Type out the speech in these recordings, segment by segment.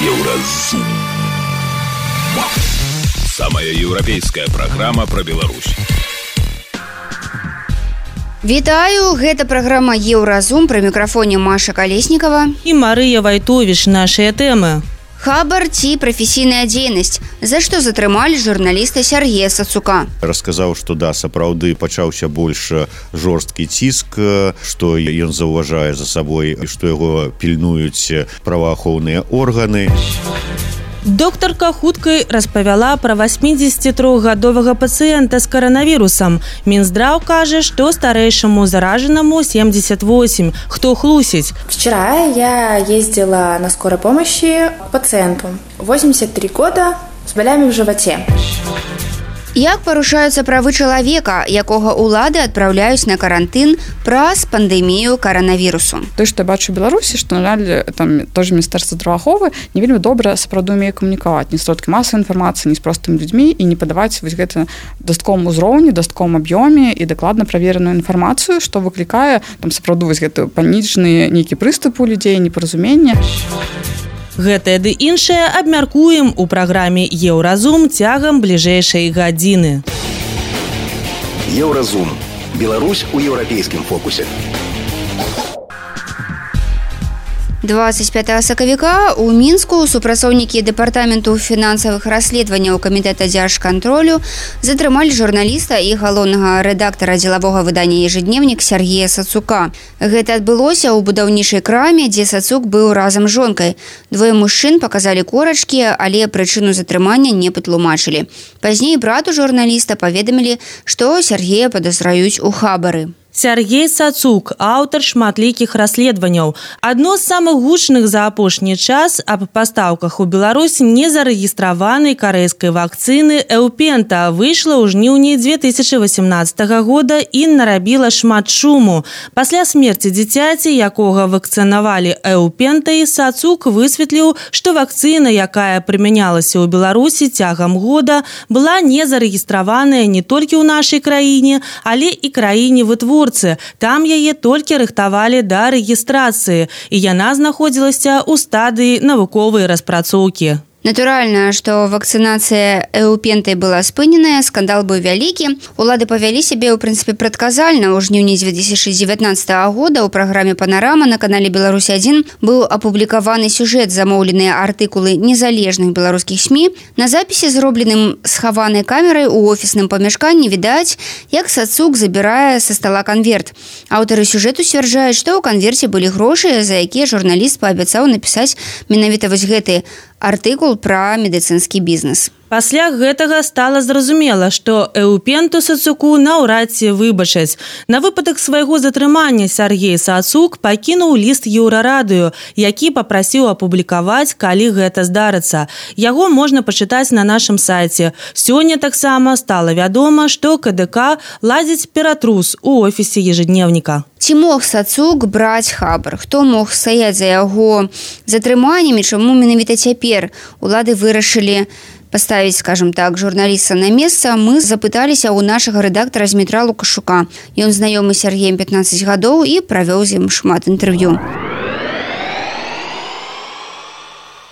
Еўразум. Самая еўрапейская праграма пра Беларусь. Вітаю, гэта праграма Еўразум, пры мікрафоне Маша Калеснікова і Марыя Вайтовіч. Нашыя тэмы. Хабар ці прафесійная дзейнасць. За што затрымалі журналіста Сергея Сацука? Расказаў, што да, сапраўды пачаўся больш жорсткі ціск, што ён заўважае за сабой, што яго пільнуюць праваахоўныя органы. Доктарка хуткай распавяла пра 83-гадовага пацыента з каранавірусам. Мінздраў кажа, што старэйшаму зараженному 78. Хто хлусіць? Вчера я ездила на скорой помощи к пациенту. 83 года, с болями в животе. Як парушаюцца правы чалавека, якога ўлады адпраўляюць на карантын праз пандэмію каранавірусу? То, што я бачу ў Беларусі, што, на жаль, там тоже Міністэрства здравааховы не вельмі добра сапраўды умее камунікаваць ні сродкі масавай інфармацыі, ні з простымі людзьмі і не падаваць вось гэта дастатковым узроўні, дастатковым аб'ёме і дакладна правереную інфармацыю, што выклікае там сапраўды вось гэта панічныя нейкі прыступы ў людзей, непаразуменне. Гэтае ды іншае абмяркуем у праграме Еўразум цягам бліжэйшай гадзіны. Еўразум. Беларусь у еўрапейскім фокусе. 25 сакавіка ў Мінску супрацоўнікі дэпартаменту фінансавых расследаванняў камітэта дзяржкантролю затрымалі журналіста і галоўнага рэдактара дзелавога выдання «Ежедневнік» Сергея Сацука. Гэта адбылося ў будаўнічай краме, дзе Сацук быў разам з жонкай. Двое мужчын паказалі корачкі, але прычыну затрымання не патлумачылі. Пазней брату журналіста паведамілі, што Сергея падазраюць у хабары. Сергей Сацук, аўтар шматлікіх расследаванняў. Адно з самых гучных за апошні час аб пастаўках у Беларусь незарэгістраванай карэйскай вакцыны Эўпента выйшла ў жніўні 2018 года і нарабіла шмат шуму. Пасля смерці дзіцяці, якога вакцынавалі Эўпентай, Сацук высветліў, што вакцына, якая прымянялася ў Беларусі цягам года, была незарэгістраваная не толькі ў нашай краіне, але і краіне вытворцы. Там яе толькі рыхтавалі да рэгістрацыі, і яна знаходзілася ў стадыі навуковай распрацоўкі. Натуральна, што вакцынацыя Эўпентай была спыненая, скандал быў вялікі. Улады павялі сябе, ў прынцыпе, прадказальна. У жніўні 2019 года ў праграме «Панарама» на канале «Беларусь-1» быў апублікаваны сюжэт, замоўленыя артыкулы незалежных беларускіх СМІ. На запісе, зробленым схаванай камерай у офісным памяшканні, відаць, як Сацук забірае са стала канверт. Аўтары сюжэту сцвярджаюць, што ў канверце былі грошы, за якія журналіст паабяцаў напісаць менавіта вось гэты артыкул пра медыцынскі бізнес. Пасля гэтага стала зразумела, што Эўпенту Сацуку наўрад ці выбачаць. На выпадак свайго затрымання Сергей Сацук пакінуў ліст Еўрарадыё, які папрасіў апублікаваць, калі гэта здарыцца. Яго можна пачытаць на нашым сайце. Сёння таксама стала вядома, што КДК ладзіць ператрус у офісе «Ежедневніка». Ці мог Сацук браць хабар? Хто мог стаяць за яго затрыманнямі? Чаму менавіта цяпер улады вырашылі паставіць, скажем так, журналіста на месца? Мы запыталіся ў нашага рэдактара Змітра Лукашука. Ён знаёмы з Сергеем 15 гадоў і правёў з ім шмат інтэрв'ю.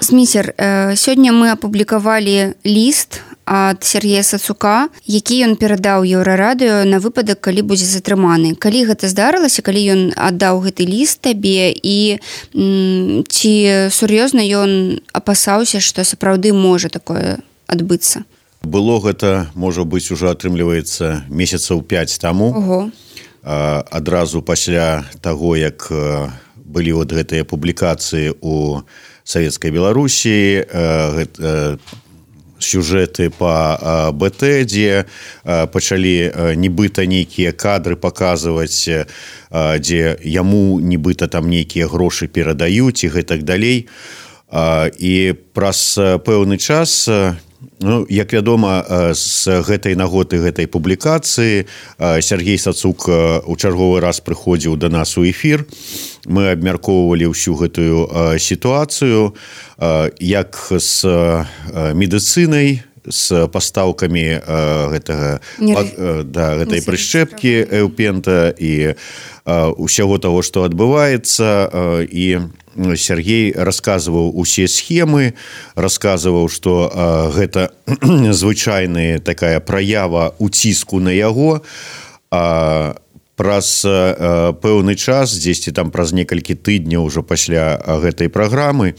Зміцер, сёння мы апублікавалі ліст ад Сергея Сацука, які ён перадаў Еўрарадыё на выпадак, калі будзе затрыманы. Калі гэта здарылася, калі ён аддаў гэты ліст табе, і ці сур'ёзна ён апасаўся, што сапраўды можа такое адбыцца? Было гэта, можа быць, ужо атрымліваецца месяцаў 5 таму. Ого. Адразу пасля таго, як былі вот гэтыя публікацыі ў Савецкай Беларусі, сюжэты па БТ, дзе пачалі нібыта нейкія кадры паказваць, дзе яму нібыта там нейкія грошы перадаюць і гэтак далей. І праз пэўны час, як вядома, з гэтай нагоды гэтай публікацыі Сергей Сацук у чарговы раз прыходзіў да нас у эфір. Мы абмяркоўвалі ўсю гэтую сітуацыю, як з медыцынай, з пастаўкамі гэтай прышчэпкі Эўпента і ўсяго таго, што адбываецца. І Сергей расказваў усе схемы, расказваў, што гэта звычайная такая праява уціску на яго, праз пэўны час, дзесьці там праз некалькі тыдняў ужо пасля гэтай праграмы,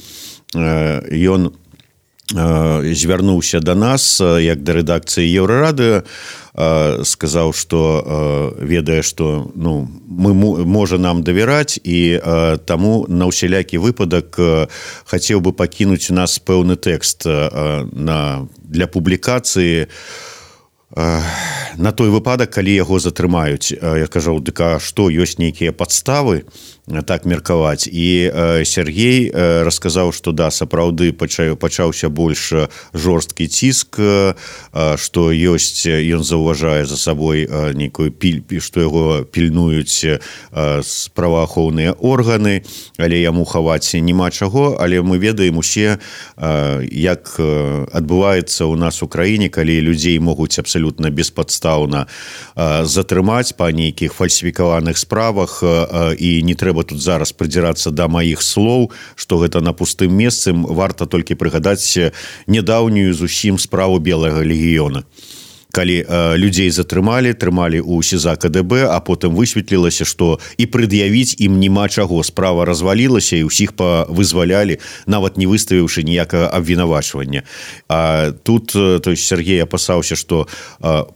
ён звярнуўся да нас, як да рэдакцыі Еўрарадыё, сказаў, што ведае, што можа нам давяраць, і таму на ўсялякі выпадак хацеў бы пакінуць у нас пэўны тэкст для публікацыі на той выпадак, калі яго затрымаюць. Я кажу, дык а што, ёсць нейкія падставы так меркаваць? І Сергей расказаў, што да, сапраўды пачаўся больш жорсткі ціск, што ёсць, ён заўважае за сабой нейкую што яго пільнуюць праваахоўныя органы, але яму хаваць няма чаго. Але мы ведаем усе, як адбываецца ў нас у краіне, калі людзей могуць абсалютна беспадстаўна затрымаць па нейкіх фальсіфікаваных справах, і не трэба тут зараз прыдзірацца да маіх слоў, што гэта на пустым месцы. Варта толькі прыгадаць нядаўнюю зусім справу Белага легіёна, калі людзей затрымалі, трымалі ў СІЗА КДБ, а потым высветлілася, што і прад'явіць ім няма чаго. Справа развалілася, і ўсіх павызвалялі, нават не выставіўшы ніякага абвінавачвання. А тут, то есть, Сергей апасаўся, што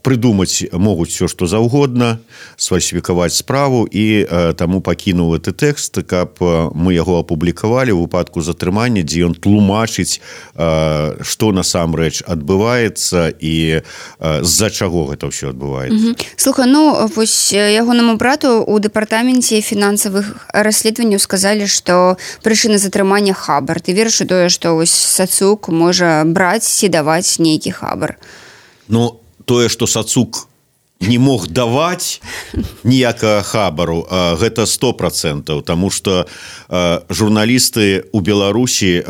прыдумаць могуць все, што заўгодна, сфальсіфікаваць справу, і таму пакінуў гэты тэкст, каб мы яго апублікавалі ў выпадку затрымання, дзе ён тлумачыць, што насамрэч адбываецца і з-за чаго гэта ўсё адбываецца. Слухай, вось ягонаму брату у дэпартаменце фінансавых расследаванняў сказалі, што прычына затрымання хабар. Ты верыш у тое, што вось Сацук можа браць ці даваць нейкі хабар? Тое, што Сацук не мог даваць ніякага хабару, гэта 100%, таму што журналісты ў Беларусі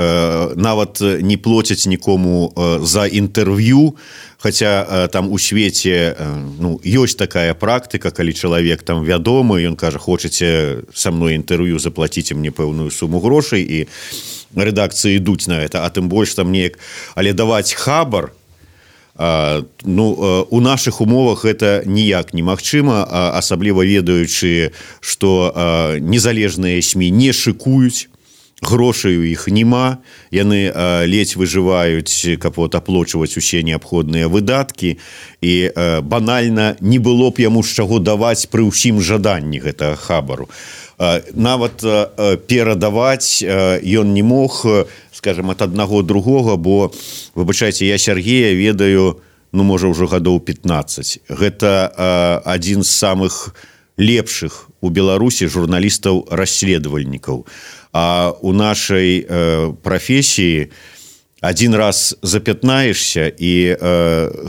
нават не плоцяць нікому за інтэрв'ю, хаця там у свеце ёсць такая практыка, калі чалавек там вядомы, ён кажа, хочаце са мной інтэрв'ю, заплаціце мне пэўную суму грошай, і рэдакцыі ідуць на гэта, а тым больш там неяк, але даваць хабар, у нашых умовах гэта ніяк немагчыма, асабліва ведаючы, што незалежныя СМІ не шыкуюць, грошай у іх няма, яны ледзь выжываюць, каб аплочваць усе неабходныя выдаткі, і банальна не было б яму з чаго даваць пры ўсім жаданні гэтага хабару. Нават перадаваць ён не мог, скажем, ад аднаго другога, бо, выбачайце, я Сергея ведаю, можа, ўжо гадоў 15. Гэта адзін з самых лепшых у Беларусі журналістаў-расследавальнікаў. А у нашай прафесіі адзін раз запятнаешся, і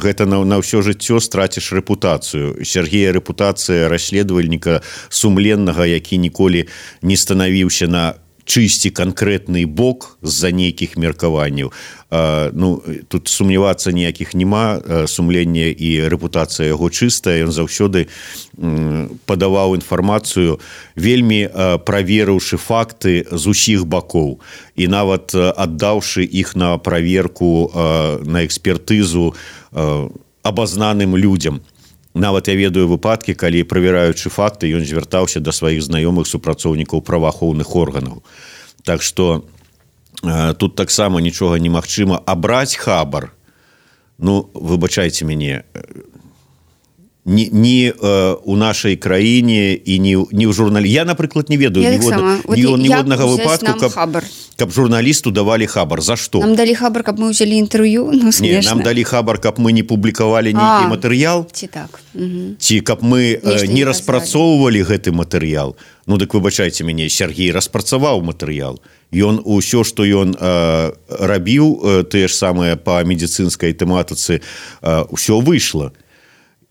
гэта на ўсё жыццё страціш рэпутацыю. Сергея рэпутацыя расследавальніка сумленнага, які ніколі не станавіўся на чысці канкрэтны бок з-за нейкіх меркаванняў. Тут сумнявацца ніякіх няма, сумленне і рэпутацыя яго чыстая, ён заўсёды падаваў інфармацыю, вельмі праверыўшы факты з усіх бакоў, і нават аддаўшы іх на праверку, на экспертызу абазнаным людзям. Нават я ведаю выпадкі, калі, правяраючы факты, ён звяртаўся да сваіх знаёмых супрацоўнікаў праваахоўных органаў. Так што тут таксама нічога немагчыма. А браць хабар, выбачайце мяне, ні у нашай краіне і ні ў журналісце. Я, напрыклад, не ведаю ніводнага выпадку, каб журналісту давалі хабар. За што? Нам далі хабар, каб мы ўзялі інтэрв'ю? Не, нам далі хабар, каб мы не публікавалі нейкі матэрыял? Ці так. Ці каб мы не распрацоўвалі гэты матэрыял? Дык выбачайце мяне, Сергей распрацаваў матэрыял. Ён усё, што ён рабіў, тыя ж самыя па медыцынскай тэматыцы, усё выйшла.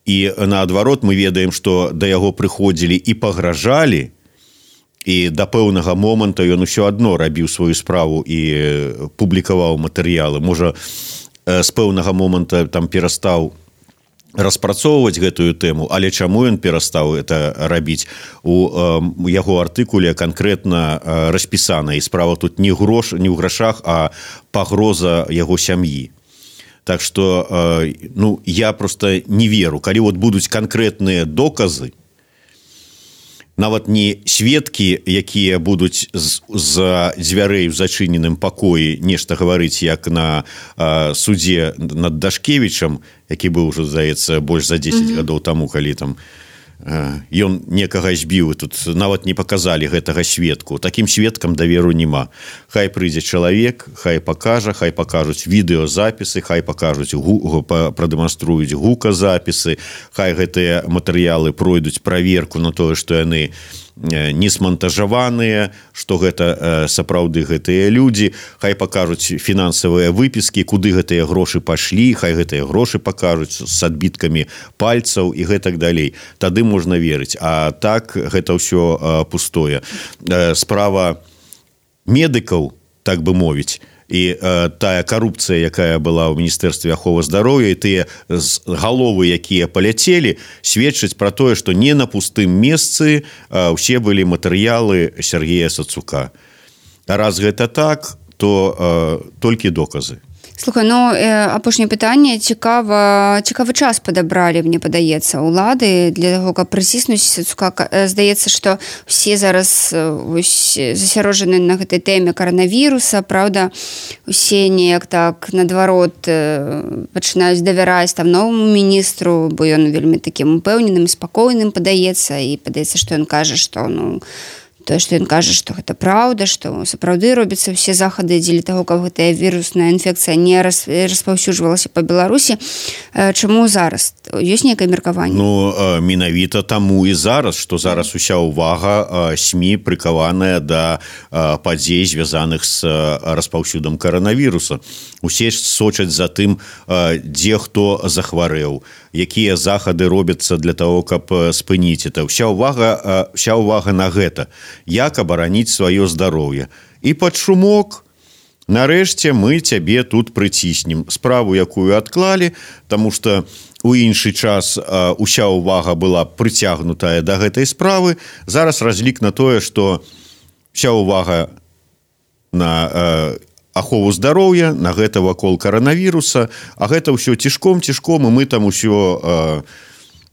І наадварот мы ведаем, што да яго прыходзілі і пагражалі, і да пэўнага моманту ён усё адно рабіў сваю справу і публікаваў матэрыялы. Можа, з пэўнага моманта там перастаў распрацоўваць гэтую тэму, але чаму ён перастаў это рабіць? У яго артыкуле канкрэтна распісана, і справа тут не ў грашах, а пагроза яго сям'і. Так што я просто не веру. Калі вот будуць канкрэтныя доказы, нават не сведкі, якія будуць з дзвярэй у зачыненым пакоі нешта гаварыць, як на судзе над Дашкевічам, які быў ужо, здаецца, больш за 10 гадоў таму, калі там ён некага збіў, тут нават не паказалі гэтага сведку. Такім сведкам даверу няма. Хай прыйдзе чалавек, хай пакажуць відэозапісы, хай пакажуць, прадэманструюць гуказапісы, хай гэтыя матэрыялы пройдуць праверку на тое, што яны не смантажаваныя, што гэта сапраўды гэтыя людзі, хай пакажуць фінансавыя выпіскі, куды гэтыя грошы пашлі, хай гэтыя грошы пакажуць з адбіткамі пальцаў і гэтак далей. Тады можна верыць. А так гэта ўсё пустое. Справа медыкаў, так бы мовіць, і тая карупцыя, якая была ў Міністэрстве аховы здароўя, і тыя галовы, якія паляцелі, сведчаць пра тое, што не на пустым месцы ўсе былі матэрыялы Сергея Сацука. А раз гэта так, то толькі доказы. Слухай, апошняе пытанне, цікавы час падабралі, мне падаецца, улады для таго, каб прыціснуць Сацука. Здаецца, што усе зараз засярожаны на гэтай тэме каранавіруса, праўда, усе неяк так наадварот пачынаюць давяраць там новаму міністру, бо ён вельмі такім упэўненым, спакойным падаецца, і падаецца, што ён кажа, што тое, што ён кажа, што гэта праўда, што сапраўды робяцца ўсе захады дзеля таго, каб гэтая вірусная інфекцыя не распаўсюджвалася па Беларусі. Чаму зараз? Ёсць нейкае меркаванне? Менавіта таму і зараз, што зараз уся ўвага СМІ прыкаваная да падзей, звязаных з распаўсюдам каранавіруса. Усе сочаць за тым, дзе хто захварэў, якія захады робяцца для таго, каб спыніць это. Уся ўвага на гэта. Як абараніць сваё здароўе. І пад шумок, нарэшце, мы цябе тут прыціснем. Справу, якую адклалі, таму што у іншы час уся ўвага была прыцягнутая да гэтай справы. Зараз разлік на тое, што вся ўвага на ахову здароўя, на гэта вакол каранавіруса, а гэта ўсё цішком, і мы там усё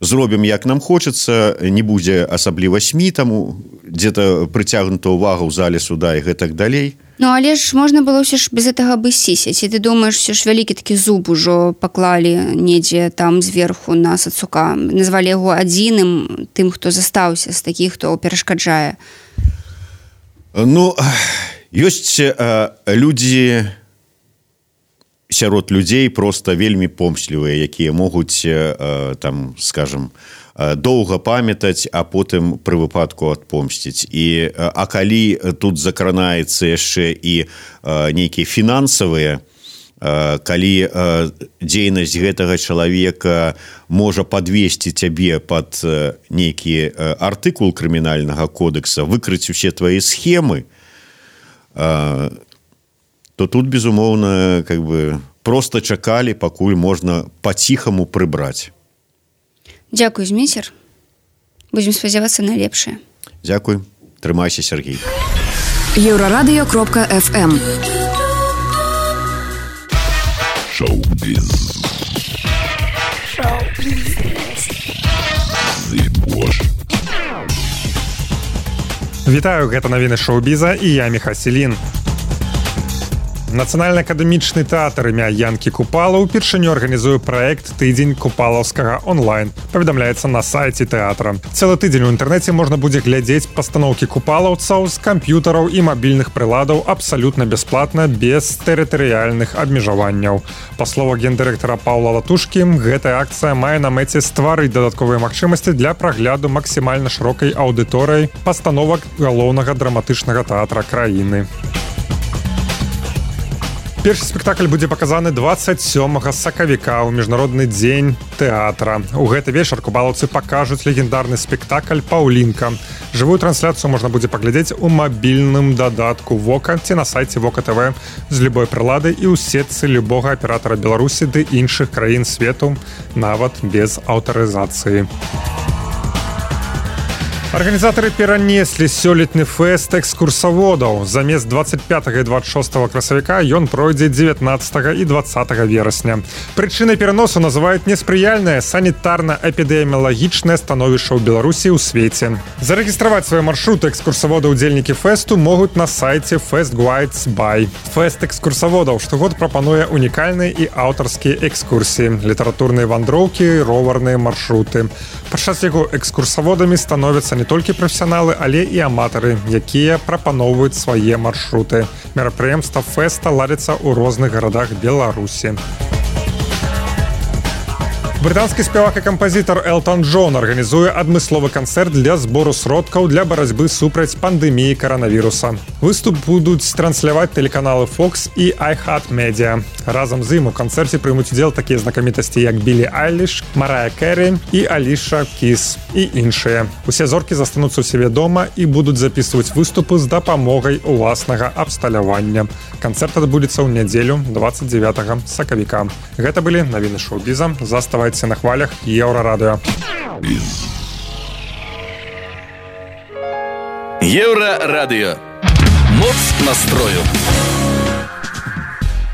зробім, як нам хочацца, не будзе асабліва СМІ, таму дзе-то прыцягнута ўвага ў зале суда і гэтак далей. Але ж можна было ўсё ж без гэтага абысціся. Ці ты думаеш, ўсё ж вялікі такі зуб ужо паклалі недзе там зверху на Сацука, назвалі яго адзіным тым, хто застаўся з такіх, хто перашкаджае? Ёсць людзі, сярод людзей проста вельмі помслівыя, якія могуць, там, скажам, доўга памятаць, а потым пры выпадку адпомсціць. А калі тут закранаецца яшчэ і нейкія фінансавыя, калі дзейнасць гэтага чалавека можа падвесці цябе пад нейкі артыкул крымінальнага кодекса, выкрыць усе твае схемы, то тут, безумоўна, проста чакалі, пакуль можна па-ціхаму прыбраць. Дзякуй, Зміцер. Будзем спадзявацца на лепшае. Дзякуй. Трымайся, Сергей. Еўрарадыё.фм. Шоу-біз. Вітаю, гэта навіны шоу-біза і я Міха Селін. Нацыянальны акадэмічны тэатр імя Янкі Купала ўпершыню арганізуе праект «Тыдзень купалаўскага онлайн». Паведамляецца на сайце тэатра. Цэлы тыдзень у інтэрнэце можна будзе глядзець пастаноўкі купалаўцаў з камп'ютараў і мабільных прыладаў абсалютна бясплатна, без тэрытарыяльных абмежаванняў. Па словах гендырэктара Паўла Латушкі, гэтая акцыя мае на мэце стварыць дадатковыя магчымасці для прагляду максімальна шырокай аўдыторыяй пастановак галоўнага драматычнага тэатра краіны. Першы спектакль будзе паказаны 27 сакавіка ў міжнародны дзень тэатра. У гэты вечар купалаўцы пакажуць легендарны спектакль «Паўлінка». Жывую трансляцыю можна будзе паглядзець у мабільным дадатку «Вока» ці на сайце Вока ТВ з любой прылады і ў сетцы любога аператара Беларусі ды іншых краін свету, нават без аўтарызацыі. Арганізатары перанеслі сёлетні фэст экскурсаводаў. Замест 25 і 26 красавіка ён пройдзе 19 і 20 верасня. Прычынай пераносу называюць неспрыяльнае санітарна-эпідэміялагічнае становішча ў Беларусі ў свеце. Зарэгістраваць свае маршруты экскурсавода ўдзельнікі фэсту могуць на сайце Fest Guides by. Фэст экскурсаводаў штогод прапануе унікальныя і аўтарскія экскурсіі, літаратурныя вандроўкі, роварныя маршруты. Падчас яго экскурсаводамі становяцца не толькі прафесіяналы, але і аматары, якія прапаноўваюць свае маршруты. Мерапрыемства фэста ладзяцца ў розных гарадах Беларусі. Брытанскі спявак і кампазітар Элтон Джон арганізуе адмысловы канцэрт для збору сродкаў для барацьбы супраць пандэміі каранавіруса. Выступ будуць трансляваць тэлеканалы Fox і iHeartMedia. Разам з ім у канцэрце прымуць удзел такія знакамітасці, як Білі Айліш, Марая Кэрі і Аліша Кіс і іншыя. Усе зоркі застануцца ў сябе дома і будуць запісваць выступы з дапамогай уласнага абсталявання. Канцэрт адбудзецца ў нядзелю 29 сакавіка. Гэта былі навіны шоу-біза. Заставайцеся на хвалях Еўрарадыё. Еўрарадыё. Моц настрою.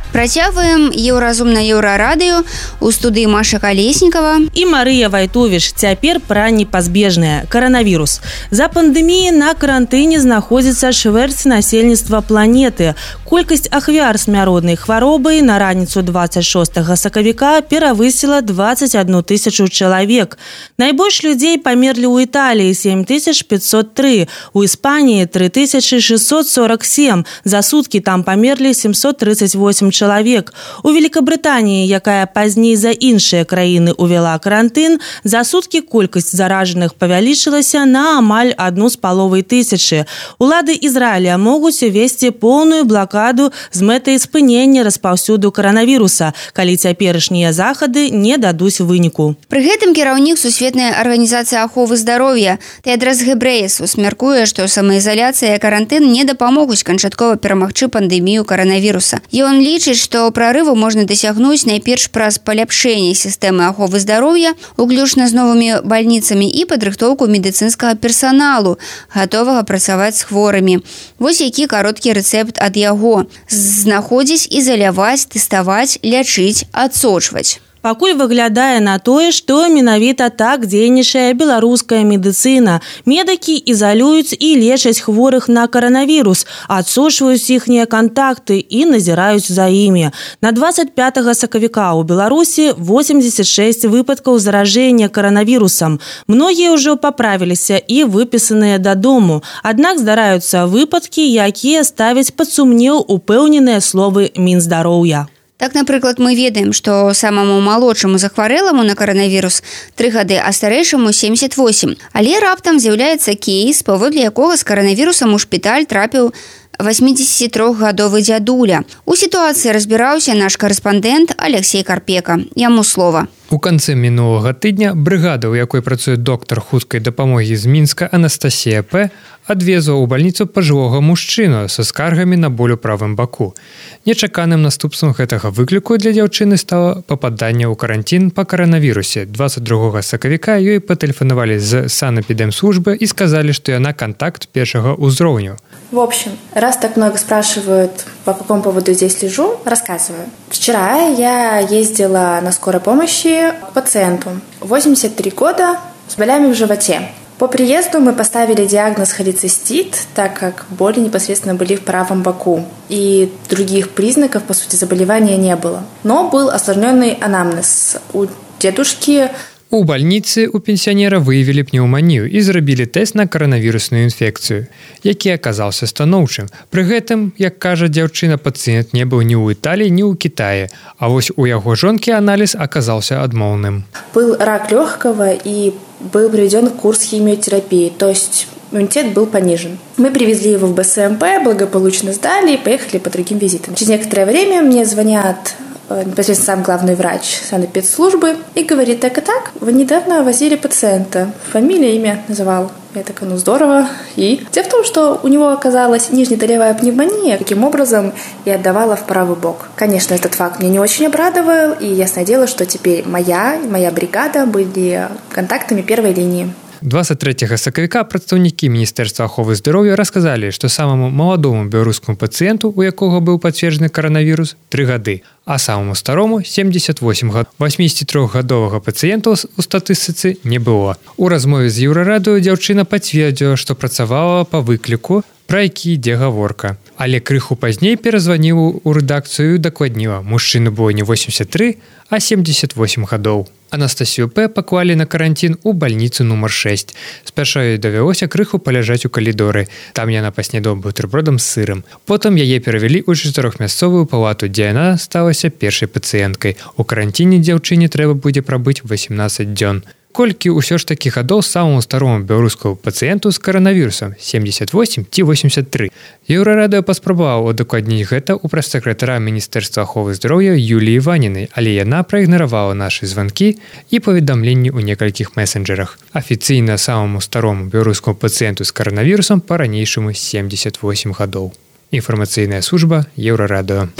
Працягваем еўразум на еўрарадыё. У студыі Маша Калеснікава і Марыя Вайтовіч. Цяпер пра непазбежнае каранавірус. За пандэміяй на карантыне знаходзіцца чвэрць насельніцтва планеты. Колькасць ахвяр смяротнай хваробы на раніцу 26 сакавіка перавысіла 21 тысячу чалавек. Найбольш людзей памерлі ў Італіі 7503, у Іспаніі 3647. За суткі там памерлі 738 чалавек. У Великабрытаніі, якая пазней за іншыя краіны увяла карантын, за суткі колькасць заражаных павялічылася на амаль 1,5 тысячы. Улады Ізраіля могуць увесці поўную блакаду з мэтай спынення распаўсюду каранавіруса, калі цяперашнія захады не дадуць выніку. Пры гэтым кіраўнік Сусветнай арганізацыі аховы здароўя Тедрос Гебрэйесус мяркуе, што самаізаляцыя і карантын не дапамогуць канчаткова перамагчы пандэмію каранавіруса. Ён лічыць, што прарыву можна дасягнуць найперш праз паляпшэнне сістэмы аховы здароўя, уключна з новымі бальніцамі і падрыхтоўку медыцынскага персаналу, гатовага працаваць з хворымі. Вось які кароткі рэцэпт ад яго: знаходзіць, ізаляваць, тэставаць, лячыць, адсочваць. Пакуль выглядае на тое, што менавіта так дзейнічае беларуская медыцына. Медыкі ізалююць і лечаць хворых на каранавірус, адсочваюць іхнія кантакты і назіраюць за імі. На 25 сакавіка ў Беларусі 86 выпадкаў заражэння каранавірусам. Многія ўжо паправіліся і выпісаныя дадому. Аднак здараюцца выпадкі, якія ставяць пад сумнеў упэўненыя словы Мінздароўя. Так, напрыклад, мы ведаем, што самаму малодшаму захварэламу на каранавірус 3 гады, а старэйшаму 78. Але раптам з'яўляецца кейс, паводле якога з каранавірусам у шпіталь трапіў 83-гадовы дзядуля. У сітуацыі разбіраўся наш карэспандэнт Алексей Карпека. Яму слова. У канцы мінулага тыдня брыгада, у якой працуе доктар хуткай дапамогі з Мінска Анастасія П., адвезла ў бальніцу пажылога мужчыну са скаргамі на боль у правым баку. Нечаканым наступствам гэтага выкліку для дзяўчыны стала пападанне ў карантин па каранавірусе. 22 сакавіка ёй патэлефанавалі з санэпідэмслужбы і сказалі, што яна контакт першага ўзроўню. В общем, раз так много спрашивают, по какому поводу здесь лежу, рассказываю. Вчера я ездила на скорой помощи к пациенту. 83 года, с болями в животе. По приезду мы поставили диагноз холецистит, так как боли непосредственно были в правом боку. И других признаков, по сути, заболевания не было. Но был осложненный анамнез. У дедушки... У бальніцы у пенсіянера выявілі пнеўманію і зрабілі тэст на каранавірусную інфекцыю, які аказаўся станоўчым. Пры гэтым, як кажа дзяўчына, пацыент не быў ні ў Італіі, ні ў Кітаі, а вось у яго жонкі аналіз аказаўся адмоўным. Был рак легкого и был проведен курс химиотерапии, то есть иммунитет был понижен. Мы привезли его в БСМП, благополучно сдали и поехали по другим визитам. Через некоторое время мне звонят непосредственно сам главный врач санэпидслужбы и говорит: так и так, вы недавно возили пациента. Фамилия, имя называл. Я такая: ну здорово. И дело в том, что у него оказалась нижнетолевая пневмония. Таким образом, я отдавала в правый бок. Конечно, этот факт меня не очень обрадовал, и ясное дело, что теперь моя бригада были контактами первой линии. 23 сакавіка прадстаўнікі Міністэрства аховы здароўя расказалі, што самаму маладому беларускаму пацыенту, у якога быў пацверджаны каранавірус, 3 гады, а самаму старому 78 год. 83-гадовага пацыента у статыстыцы не было. У размове з Еўрарадыё дзяўчына пацвердзіла, што працавала па выкліку, пра які ідзе гаворка. Але крыху пазней перазваніў у рэдакцыю і дакладніла: мужчыну было не 83, а 78 гадоў. Анастасію П. паклалі на карантин у бальніцу нумар 6. Спярша ёй давялося крыху паляжаць у калідоры. Там яна паснедала бутербродам з сырам. Потым яе перавялі ў 4-мясцовую палату, дзе яна сталася першай пацыенткай. У карантине дзяўчыне трэба будзе прабыць 18 дзён. Колькі ўсё ж такі гадоў самому старому беларускаму пацыенту з каранавірусам, 78 ці 83. Еўрарадыё паспрабаваў удакладніць гэта ў прэс-сакратара Міністэрства аховы здароўя Юліі Ванінай, але яна праігнаравала нашы званкі і паведамленні ў некалькіх месенджерах. Афіцыйна самому старому беларускаму пацыенту з каранавірусам па-ранейшаму 78 гадоў. Інфармацыйная служба Еўрарадыё.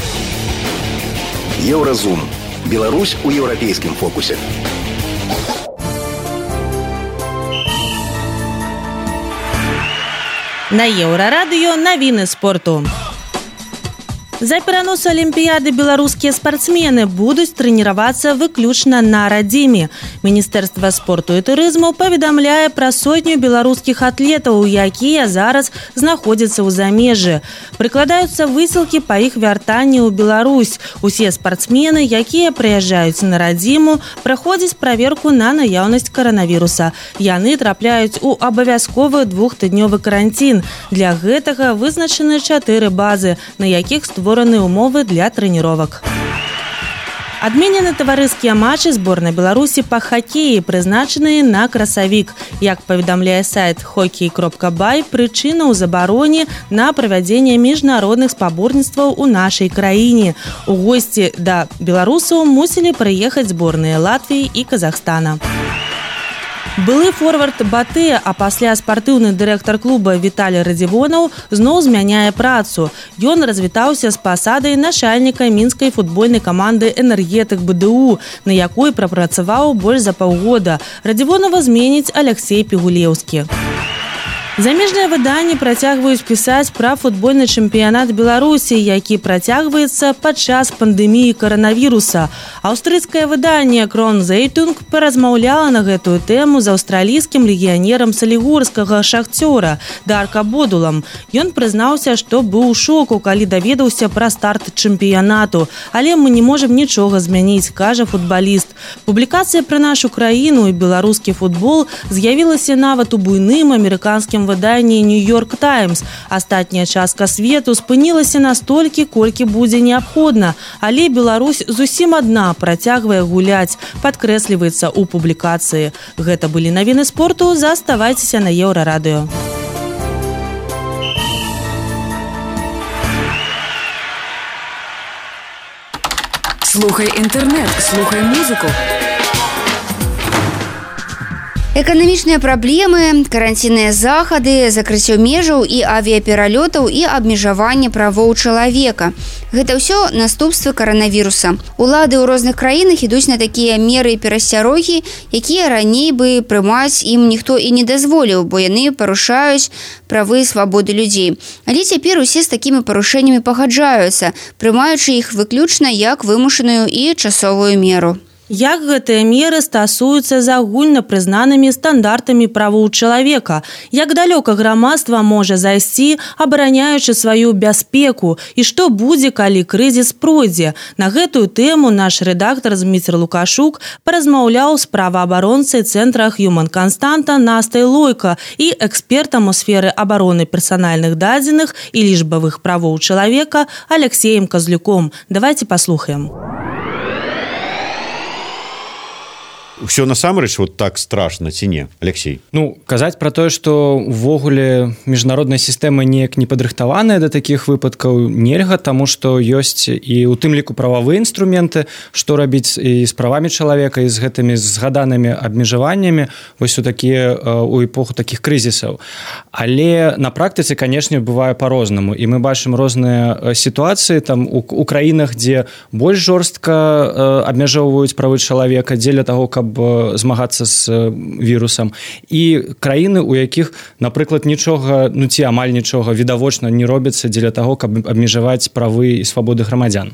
Еўразум. Беларусь у еўрапейскім фокусе. На Еўрарадыё навіны спорту. За перанос Алімпіяды беларускія спартсмены будуць трэніравацца выключна на радзіме. Міністэрства спорту і турызму паведамляе пра 100 беларускіх атлетаў, якія зараз знаходзяцца ў замежжы. Прыкладаюцца высілкі па іх вяртанні ў Беларусь. Усе спартсмены, якія прыязджаюць на радзіму, праходзяць праверку на наяўнасць каранавіруса. Яны трапляюць у абавязковы 2-тыднёвы карантин. Для гэтага вызначаны 4 базы, на якіх створаны умовы для трэніровак. Адменены таварыскія матчы зборнай Беларусі па хакеі, прызначаныя на красавік. Як паведамляе сайт hockey.by, прычына ў забароне на правядзенне міжнародных спаборніцтваў у нашай краіне. У госці да беларусаў мусілі прыехаць зборныя Латвіі і Казахстана. Былы форвард Батэ, а пасля спартыўны дырэктар клуба Віталій Радзівонаў зноў змяняе працу. Ён развітаўся з пасадай начальніка мінскай футбольнай каманды «Энергетык БДУ», на якой прапрацаваў больш за паўгода. Радзівонава зменіць Алексей Пігулеўскі. Замежныя выданні працягваюць пісаць пра футбольны чэмпіянат Беларусі, які працягваецца падчас пандэміі каранавіруса. Аўстрыйскае выданне «Кронзейтунг» паразмаўляла на гэтую тэму з аўстралійскім легіянерам салігорскага «Шахцёра» Дарка Бодулам. Ён прызнаўся, што быў у шоку, калі даведаўся пра старт чэмпіянату. Але мы не можам нічога змяніць, кажа футбаліст. Публікацыя пра нашу краіну і беларускі футбол з'явілася нават у буйным амерыканскім выданні «Нью-Йорк Таймс». Астатняя частка свету спынілася настолькі, колькі будзе неабходна. Але Беларусь зусім адна працягвае гуляць, падкрэсліваецца ў публікацыі. Гэта былі навіны спорту, заставайцеся на Еўрарадыё. Слухай інтэрнэт, слухай музыку. Эканамічныя праблемы, каранцінныя захады, закрыццё межаў і авіяпералётаў і абмежаванне правоў чалавека. Гэта ўсё наступствы каранавіруса. Улады ў розных краінах ідуць на такія меры і перасцярогі, якія раней бы прымаць ім ніхто і не дазволіў, бо яны парушаюць правы і свабоды людзей. Але цяпер усе з такімі парушэннямі пагаджаюцца, прымаючы іх выключна як вымушаную і часовую меру. Як гэтыя меры стасуюцца з агульна прызнанымі стандартамі правоў чалавека? Як далёка грамадства можа зайсці, абараняючы сваю бяспеку? І што будзе, калі крызіс пройдзе? На гэтую тэму наш рэдактар Зміцер Лукашук паразмаўляў з праваабаронцай цэнтра Human Константа Настай Лойка і экспертам у сферы абароны персанальных дадзеных і лічбавых правоў чалавека Алексеем Казлюком. Давайте паслухаем. все насамрэч вот так страшно ці не, Алексей? Казаць пра тое, што ўвогуле міжнародная сістэма неяк не падрыхтаваная да такіх выпадкаў нельга, таму што ёсць і ў тым ліку прававыя інструменты, што рабіць і з правамі чалавека, і з гэтымі згаданымі абмежаваннямі вось у такія у эпоху такіх крызісаў. Але на практыцы, канешне, бывае па-рознаму, і мы бачым розныя сітуацыі там у краінах, дзе больш жорстка абмяжоўваюць правы чалавека дзеля таго, каб змагацца з вірусам, і краіны, у якіх, напрыклад, нічога, ці амаль нічога відавочна не робіцца дзеля таго, каб абмежаваць правы і свабоды грамадзян.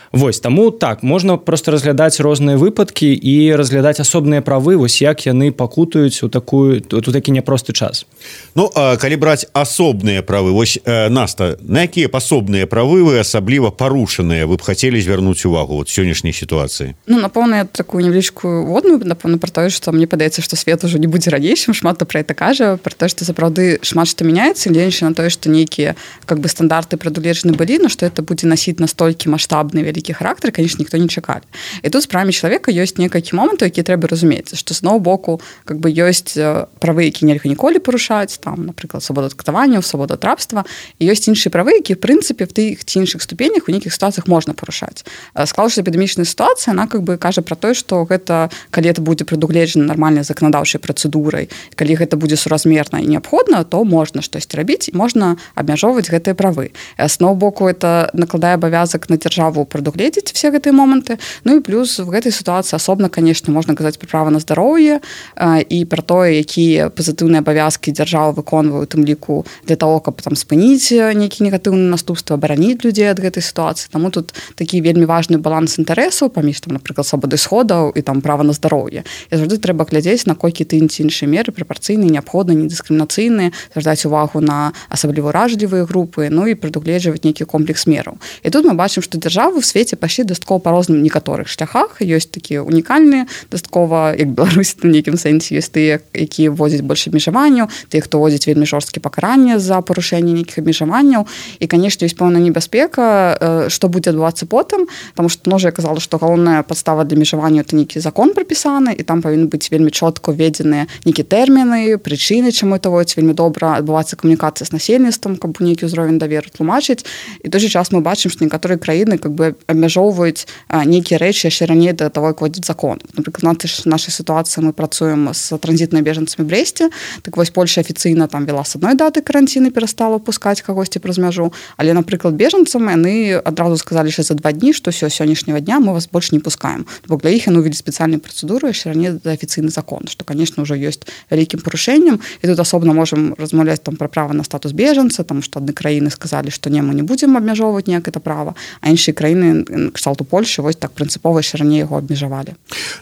Вось, таму так, можна проста разглядаць розныя выпадкі і разглядаць асобныя правы, вось як яны пакутаюць у такі няпросты час. Калі браць асобныя правы, вось, Наста, на якія асобныя правы вы асабліва парушаныя вы б хацелі звярнуць увагу вот сённяшняй сітуацыі? Напэўна, я такую невялічкую водную, напэўна, пра тое, што мне падаецца, што свет ужо не будзе ранейшым, шмат хто пра гэта кажа, пра тое, што сапраўды шмат што мяняецца, гледзячы на тое, што нейкія стандарты прадугледжаны былі, но што это будзе насіць настолькі маштабны вялікі характар, конечно, ніхто не чакалі. І тут з правамі чалавека ёсць некалькі момантаў, якія трэба разумець, што з аднаго боку ёсць правы, які нельга ніколі парушаць, там, напрыклад, свабода катаванняў, свабода ад рабства, і ёсць іншыя правы, які, в прынцыпе, в тых ці іншых ступенях у нейкіх сітуацыях можна парушаць. Склалася эпідэмічная сітуацыя, она кажа пра тое, што гэта, калі это будзе прадугледжана нармальнай заканадаўчай працэдурай, калі гэта будзе суразмерна і неабходна, то можна штосьці рабіць і можна абмяжоўваць гэтыя правы. З аднаго боку, это накладае абавязак на дзяржаву прадугледзець все гэтыя моманты. І плюс в гэтай сітуацыі асобна, конечно, можна казаць пра права на здароўе і пра тое, якія пазітыўныя абавязкі дзяржава выконвае, у тым ліку для того, каб там спыніць нейкія негатыўныя наступствы, абараніць людзей ад гэтай сітуацыі. Таму тут такі вельмі важны баланс інтарэсаў паміж там, напрыклад, свабоды сходаў і там права на здароўе. І заўжды трэба глядзець, наколькі тыя ці іншыя меры прапарцыйныя, неабходныя, недыскрымінацыйныя, звяртаць увагу на асабліва уражлівыя групы, і прадугледжваць нейкі комплекс мераў. І тут мы бачым, што дзяржавы ў свеце пайшлі дастаткова па розным некаторых шляхах. Ёсць такія унікальныя, дастаткова, як Беларусь у нейкім сэнсе, ёсць тыя, якія вводзяць больш абмежаванняў, тыя, хто вводзіць вельмі жорсткі пакаранне за парушэнне нейкіх абмежаванняў. І, канешне, ёсць пэўная небяспека, што будзе адбывацца потым, таму што я казала, што галоўная падстава для абмежавання это нейкі закон прапісаны, і там павінны быць вельмі чётка ўведзеныя нейкія тэрміны, прычыны, чаму это вводзіць, вельмі добра адбываецца камунікацыя з насельніцтвам, каб нейкі ўзровень даверу тлумачыць. І той же час мы бачым, што некаторыя краіны абмяжоўваюць нейкія рэчы яшчэ раней да таго, як вводзіць закон. Напрыклад, нашай сітуацыі мы працуем з транзітнымі бежанцамі в Брэсце. Так вось Польша афіцыйна там вела з адной даты каранціны, перастала пускаць кагосьці праз мяжу, але, напрыклад, бежанцам яны адразу сказалі, што за 2 дні, што сённяшняга дня мы вас больш не пускаем. Бо для іх яны ўвялі спецыяльную працэдуру яшчэ раней за афіцыйны закон, што, конечно, ўжо ёсць вялікім парушэннем. І тут асобна можам размаўляць там пра права на статус бежанца, таму што адны краіны сказалі, што не, мы не будзем абмяжоўваць ніяк это права, а іншыя краіны, кшталту Польшы, вось так прынцыпова яшчэ раней яго абмежавалі.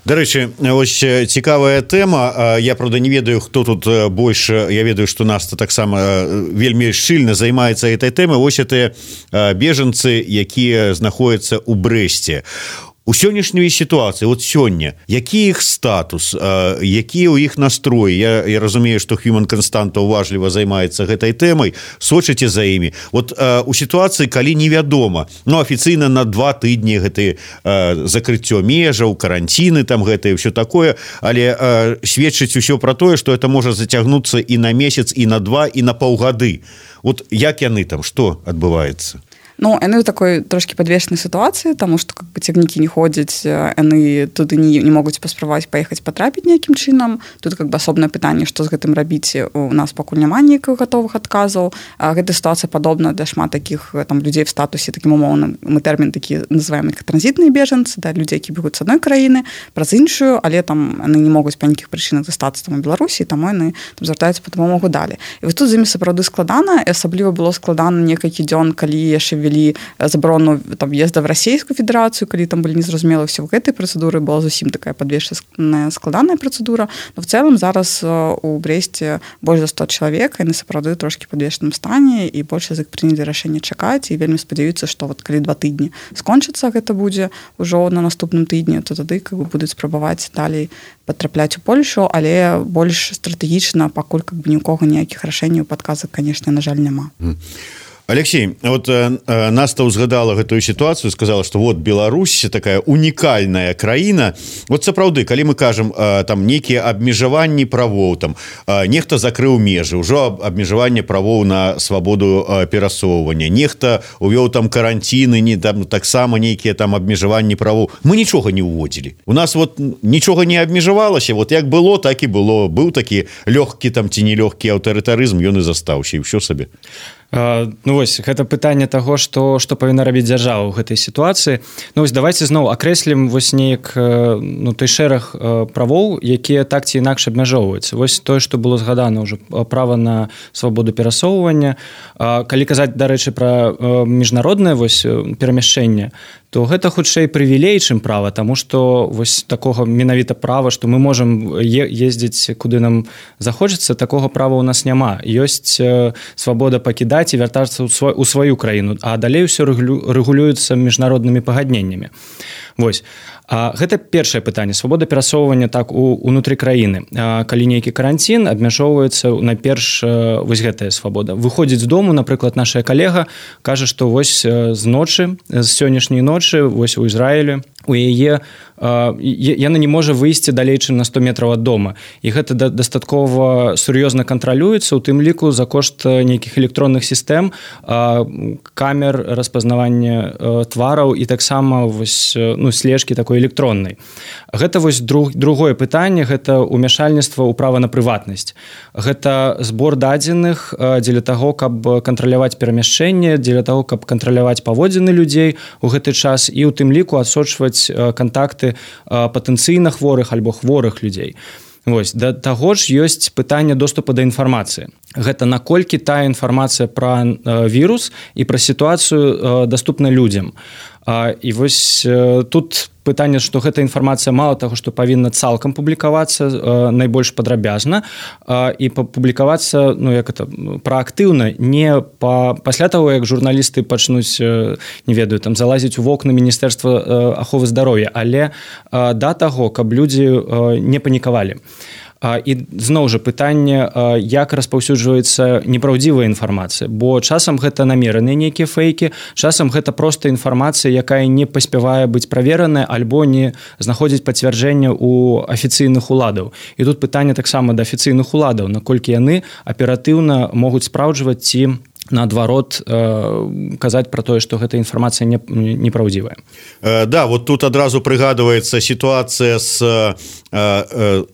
Дарэчы, вось цікавая тэма. Я, правда, не ведаю, хто тут больш. Я ведаю, што Наста таксама вельмі шчыльна займаецца этой тэмай. Вось гэтыя бежанцы, якія знаходзяцца ў Брэсце. У сённяшняй сітуацыі, вот сёння, які іх статус, якія ў іх настроі? Я разумею, што Human Константа уважліва займаецца гэтай тэмай, сочыце за імі. Вот у сітуацыі, калі невядома, афіцыйна на 2 тыдні гэты закрыццё межаў, каранціны, там гэтае ўсё такое, але сведчыць усё пра тое, што это можа зацягнуцца і на месяц, і на 2, і на паўгады. Вот як яны там, што адбываецца? Яны ў такой трошкі падвешанай сітуацыі, таму што цягнікі не ходзяць, яны туды не могуць паспрабаваць паехаць патрапіць нейкім чынам. Тут асобнае пытанне, што з гэтым рабіць, у нас пакуль няма нейкіх гатовых адказаў. Гэта сітуацыя падобна да шмат такіх там людзей в статусе, такім умоўным, мы тэрмін такі называем як транзітныя бежанцы, да, людзі, які бегуць з адной краіны праз іншую, але там яны не могуць па нейкіх прычынах застацца там у Беларусі, таму яны там звяртаюцца па дапамогу далі. І вось тут з імі сапраўды складана, і асабліва было складана некалькі дзён, калі яшчэ ввели забарону там въезда в Российскую Федерацию, калі там были незразумелы все в гэтай працэдуры, была зусім такая падвешаная складаная працэдура, но в целом зараз у Бресце больш за 100 чалавек, яны сапраўды трошки падвешаным стане, і больш з іх прынялі рашэнне чакаць, і вельмі спадзяюцца, што вот калі 2 тыдні скончыцца, гэта будзе ўжо на наступным тыдні, то тады будуць спрабаваць далей патрапляць у Польшу, але больш стратэгічна, пакуль ні ў кого ніякіх рашэнняў падказак, конечно, на жаль, няма. Алексей, вот Наста узгадала гэтую ситуацию, сказала, что вот Беларусь такая уникальная краіна. Вот сапраўды, калі мы кажем там некие абмежаванні правоў, там нехта закрыў межы, ўжо абмежаванне правоў на свабоду перасоўвання, нехта увёў там каранціны, не там таксама нейкія там абмежаванні правоў. Мы нічога не уводзілі. У нас вот нічога не абмежавалася, вот як было, так і было. Быў такі лёгкі там ці нелёгкі аўтарытарызм, ён і застаўся, і ўсё сабе. Ну вось гэта пытанне таго, што павінна рабіць дзяржава ў гэтай сітуацыі. Ну вось давайте зноў акрэслім вось неяк той шэраг правоў, якія так ці інакш абмяжоўваюцца. Вось тое, што было згадана ўжо, права на свабоду перасоўвання. Калі казаць, дарэчы, пра міжнароднае вось перамяшчэнне, то гэта хутчэй прывілей, чым права, таму што вось такога менавіта права, што мы можам ездзіць куды нам захочацца, такога права ў нас няма. Ёсць свабода пакідаць і вяртацца ў сваю краіну, а далей ўсё рэгулюецца міжнароднымі пагадненнямі. Вось. Гэта першае пытанне. Свабода перасоўвання так унутры краіны. Калі нейкі каранцін, абмяжоўваецца найперш вось гэтая свабода. Выходзіць з дому, напрыклад, наша калега кажа, што вось з ночы, з сённяшняй ночы, вось у Ізраілі, у яе яна не можа выйсці далей, чым на 100 метраў ад дома. І гэта дастаткова сур'ёзна кантралюецца, у тым ліку за кошт нейкіх электронных сістэм, камер распазнавання твараў і таксама вось слежкі такой электроннай. Гэта вось другое пытанне, гэта ўмяшальніцтва ў права на прыватнасць. Гэта збор дадзеных дзеля таго, каб кантраляваць перамяшчэнне, дзеля таго, каб кантраляваць паводзіны людзей у гэты час і ў тым ліку адсочваць кантакты патэнцыйна хворых альбо хворых людзей. Вось, да таго ж ёсць пытанне доступа да інфармацыі. Гэта наколькі тая інфармацыя пра вірус і пра сітуацыю даступна людзям. І вось тут пытанне, што гэта інфармацыя мала таго, што павінна цалкам публікавацца найбольш падрабязна і публікавацца праактыўна, не пасля таго, як журналісты пачнуць, не ведаю, там залазіць у вокны Міністэрства аховы здароўя, але да таго, каб людзі не панікавалі. І зноў жа пытанне, як распаўсюджваецца непраўдзівая інфармацыя, бо часам гэта намераныя нейкія фейкі, часам гэта проста інфармацыя, якая не паспявае быць правераная альбо не знаходзіць пацвярджэння ў афіцыйных уладаў. І тут пытанне таксама да афіцыйных уладаў, наколькі яны аператыўна могуць спраўджваць ці наадварот казаць пра тое, што гэта інфармацыя непраўдзівая. Да, вот тут адразу прыгадваецца сітуацыя з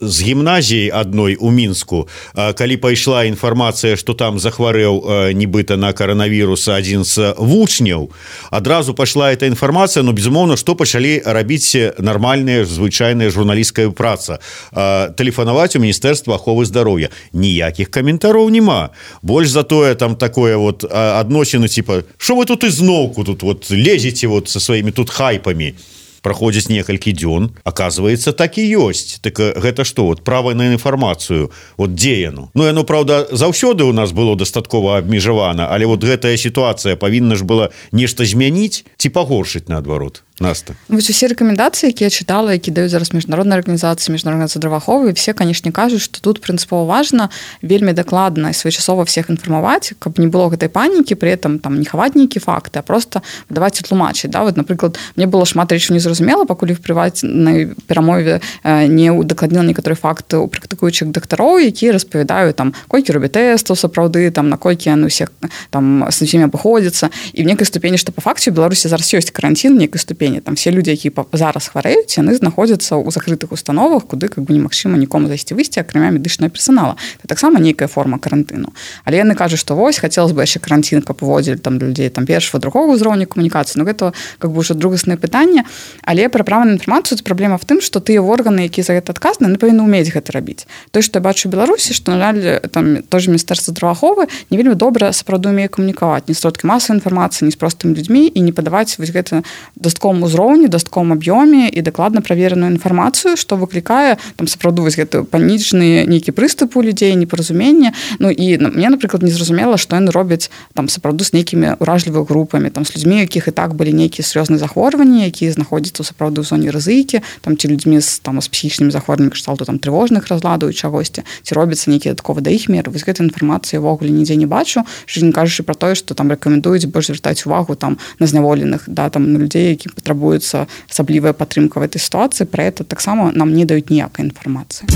гімназіяй адной у Мінску, калі пайшла інфармацыя, што там захварэў нібыта на каранавірус адзін з вучняў, адразу пайшла эта інфармацыя, но безумоўна, што пачалі рабіць нармальная звычайная журналісцкая праца, тэлефанаваць у Міністэрства аховы здароўя. Ніякіх каментароў няма. Больш за тое там такое вот адносіны типа, что вы тут изноўку тут вот лезете вот со своими тут хайпами. Праходзіць некалькі дзён, оказывается, так і ёсць. Так гэта што, вот права на інфармацыю, вот дзе яно? Ну, яно, правда, заўсёды у нас было дастаткова абмежавана, але вот гэтая сітуацыя павінна ж была нешта змяніць ці пагоршыць наадварот. Наста. Вось усе рэкамендацыі, якія чытала, які даюць зараз міжнародныя арганізацыі, міжнародныя здравааховы, все, канешне, кажуць, што тут прынцыпова важна вельмі дакладна і своечасова всех інфармаваць, каб не было гэтай панікі, при этом там не хаваць нейкі факты, а просто даваць і тлумачыць. Да? Вот, напрыклад, мне было шмат рэчаў незразумела, пакуль іх прыватнай перамове не удакладніла некаторыя факты у практыкуючых дактароў, якія распавядаюць там, колькі робяць тэстаў сапраўды, там наколькі яны ўсе там з усімі абыходзяцца, і в некай ступені, што па факце у Беларусі зараз ёсць каранцін, некай ступені. Там все люди, які зараз хварэюць, яны знаходзяцца ў закрытых установах, куды как бы немагчыма нікому зайсці-выйсці, акрамя медычнага персонала. Это таксама нейкая форма карантыну. Але яны кажуць, што вось хацелось бы яшчэ карантин, каб уводзілі там для людзей там першага, другога ўзроўня камунікацыі. Ну гэта как бы ўжо другаснае пытанне, але пра права на інфармацыю праблема в тым, што тыя органы, якія за гэта адказаны, яны павінны ўмець гэта рабіць. Тое, што я бачу ў Беларусі, што на жаль там тоже Міністэрства здравааховы не вельмі добра сапраўды умее камунікаваць ні сродкі масавай інфармацыі, ні з простымі людзьмі і не падаваць вось гэта дастаткова дастатковым узроўні, дастатковым аб'ёме і дакладна правереную інфармацыю, што выклікае там сапраўды вось гэты панічны нейкі прыступ у людзей, непаразуменне. Ну і мне, напрыклад, незразумела, што яны робяць там сапраўды з нейкімі ўражлівымі групамі, там з людзьмі, якіх і так былі нейкія сур'ёзныя захворванні, якія знаходзяцца сапраўды ў зоне рызыкі, там ці людзьмі з псіхічнымі захворваннямі кшталту там трывожных разладаў і чагосьці, ці робяцца нейкія дадатковы да іх меры. Вось гэтай інфармацыі ўвогуле нідзе не бачу, не кажучы пра тое, што там рэкамендуюць больш звяртаць увагу там на зняволеных, да, там на людзей, які патрабуецца асаблівая падтрымка в этой сітуацыі. Пра гэта таксама нам не даюць ніякай інфармацыі.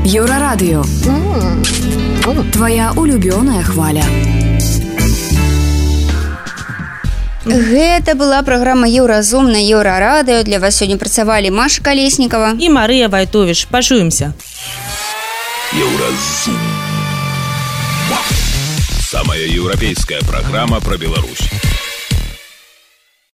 Еўрарадыё. Твоя улюбёная хваля. Гэта была праграма Еўразум на Еўрарадыё. Для вас сёння працавалі Маша Калеснікава і Марыя Вайтовіч. Пачуемся. Еўразум. Самая еўрапейская программа про Беларусь.